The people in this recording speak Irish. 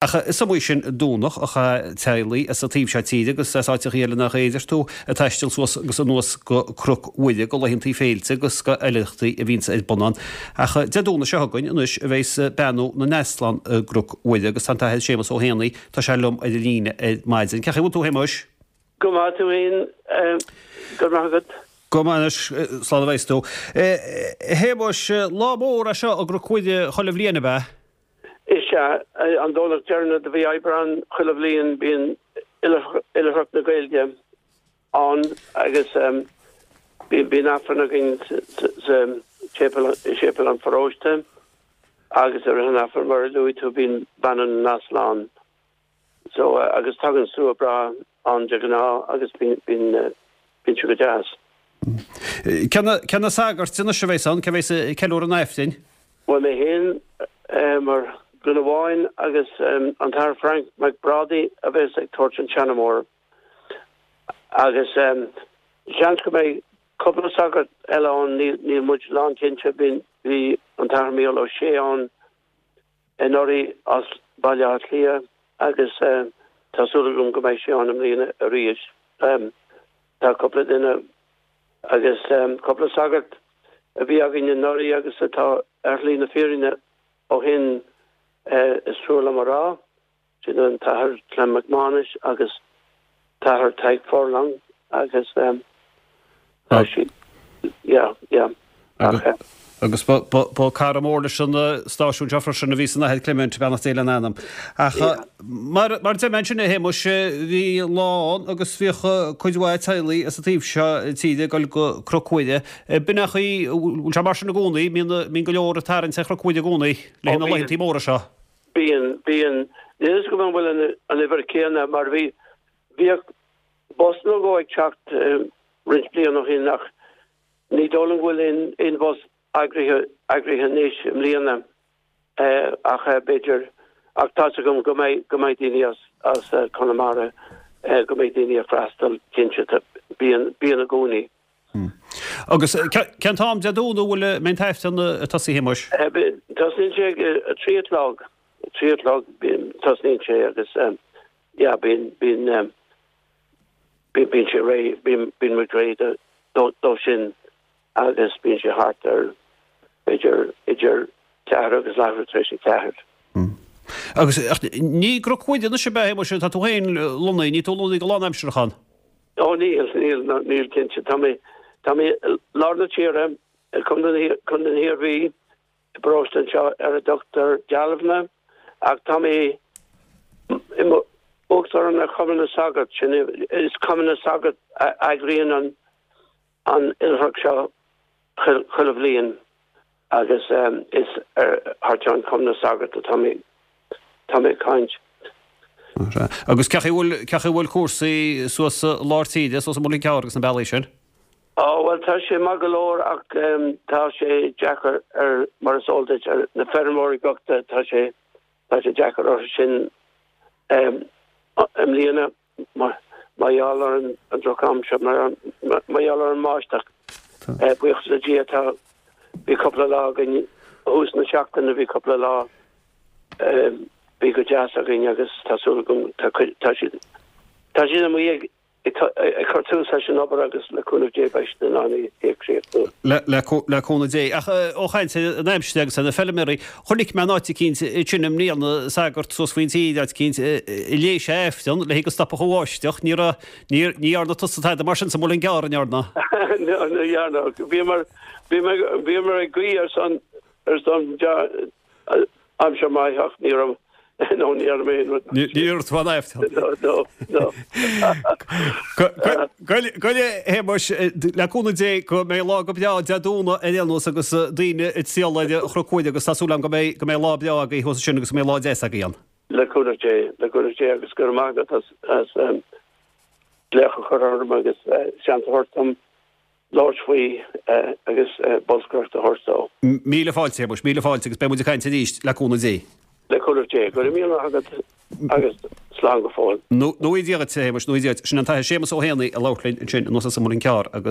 Ach is iomaí sin Domhnach a chaith teaghlaigh as an taobh seo tíre agus as áiteachaí eile nach é, a deir tú, ag taisteal suas agus anuas go Cnoc Mhuire go laethantaí féilte agus go oilithreachtaí a bhíonns ar bun ann. Ach Dé Domhnaigh seo chugainn anois a bheas Beannú na nEaslán i gCnoc Mhuire agus tá an tAthair Séamus Ó hÉanaí, tá sé liom ar an líne ar maidin. Cén chaoi a bhfuil tú a Shéamuis? Go maith tú fhéin, go raibh maith agat. Go maith anois, slán a bheas tú. A Shéamuis, lá mór é seo i gCnoc Mhuire chuile bhliain, ab ea? Is ea, an Domhnach deireanach de mhí Aibreán chuile bhliain bíonn Oilithreacht na Gaeilge ann agus bíonn Aifreann againn sa tséipéal, i séipéal an pharóiste agus i rith an Aifrinn mar a luaigh tú bíonn Beannú na nEaslán. So, agus tagann slua breá ann de ghnáth agus bíonn, bíonn, bíonn sé go deas. Cé na, cé na sagairt anois a bheas ann? Cé bheas ag ceiliúradh an Aifrinn? Bhuel, mé féin mar dhuine amháin agus an tAthair Frank Mac Brádaigh a bheas ag tabhairt an tseanmóra. Agus seans go mbeidh cúpla sagart eile ann, níl, níl muid lánchinnte, bhí, bhí an tAthair Mícheál Ó Sé ann anuraidh as Baile Átha Cliath agus tá súil agam go mbeidh sé ann i mbliana arís. Tá cúpla duine agus cúpla sagart a bhí againn anuraidh agus atá ar shlí na fírinne ó shin, is trua liom a rá. Sin an tAthair Clem Mac Mánais agus tAthair Tadhg Furlong agus tá siad, yeah, yeah. Ach. Agus ba cara mór leis an stáisiún seo freisin a bhí san Athair Clement, beannacht Dé lena anam. Ach mar a deir mé ansin a Shéamuis, bhí lá ann agus bhíodh cuid mhaith teaghlaigh as an taobh seo tíre ag dul go Cnoc Mhuire. B'in é an chaoi, bhfuil sé mar sin i gcónaí, mbíonn go leor ag tarraingt ar Chnoc Mhuire i gcónaí le haghaidh na laethantaí móra seo? Bíonn, bíonn. Níl a fhios agam an bhfuil an uimhir chéanna mar bhí, bhíodh bus nó dhó ag teacht roinnt bliain ó shin ach ní dóigh liom go bhfuil aon, aon bhus eagraithe, eagraithe anois i mbliana ach b'fhéidir, ach tá's agam go mbeidh, go mbeidh daoine as, as Conamara, go mbeidh daoine ag freastal cinnte, bíonn, bíonn i gcónaí. Agus cén t-am Dé Domhnaigh a bhfuil an mbeidh an tAifreann ag tosaí, a Shéamuis? Tosnaíonn sé ag a 3 a chlog, 3 a chlog tosnaíonn sé agus yeah bíonn, bíonn, bíonn sé réidh, bíonn, bíonn muid réidh dó sin agus bíonn sé thart ar b'fhéidir idir ceathair agus leathuair tar éis a ceathair. Agus ní i gCnoc Mhuire anois ab ea, a Shéamuis, atá tú féin lonnaithe, níl tú lonnaithe go lánaimsearach ann? Ó níl, níl, níl cinnte. Tá mé, tá mé i lár na tíre, i gContae na hIarmhí, i bparóiste anseo ar a dtugtar Dealbhna, ach tá mé i mo uachtarán ar Chumann na Sagart, sin é, is Cumann na Sagart a eagraíonn an, an oilithreacht seo chuile bhliain agus is thar ceann Chumann na Sagart atá mé, tá mé ag caint. Agus cén chaoi a bhfuil, cén chaoi a bhfuil cúrsaí suas i lár tíre, suas i Muileann gCearr agus na bealaí sin? Ó, bhuel, tá sé maith go leor ach tá sé deacair ar, mar is eol duit, ar na feirmeoirí bochta, tá sé, tá sé deacair orthu sin i mbliana. Mar gheall ar an drochaimsir, mar gheall ar an mbáisteach. Buíochas le Dia tá, bhí cúpla lá againn thús na seachtaine, bhí cúpla lá, bhí go deas againn agus tá súil agam, tá cuid, tá siad, tá siad amuigh ag, ag cur tús leis an obair agus le cúnamh Dé beidh siad in ann í a chríochnú. Le cúnamh Dé. Ach ó chaint ar an aimsir agus ar na feilméaraí, Chonaic mé in áit eicínt ansin i mbliana, sagart suas faoin tír, áit eicínt, a léigh sé Aifreann le go stopfadh an bháisteach. Ní raibh, ní, ní dhearna tusa tada mar sin sa Mhuileann gCearr, an ndearna? No, ní dhearna. Bhíomar, bhíomar, bhíomar ag guí ar son, ar son aimsir maith ach ní raibh, no, ní dhearna mé aon rud. Ní dhearna tú an Aifreann. No, no, no. Go raibh, a Shéamuis, le cúnamh Dé go mbeidh lá go breá Dé Domhnaigh ar aon nós agus daoine ag triall ar Chnoc Mhuire agus tá súil agam go mbeidh go mbeidh lá breá agaibh thuas ansin agus go mbeidh lá deas agaibh ann. Le cúnamh Dé, le cúnamh Dé agus go raibh maith agat as as glaoch a chur orm agus seans a thabhairt dom labhairt faoi agus bolscaireacht a thabhairt dó. Míle fáilte, a Shéamuis, míle fáilte agus beidh muid ag caint arís, le cúnamh Dé. Le cúnamh Dé. Go raibh míle maith agat agus slán go fóill. Nua Dia dhuit, a Shéamuis, nua Dia dhuit. Sin an tAthair Séamus Ó hÉanaí ag labhairt linn ansin anuas as an Muileann Cearr agus.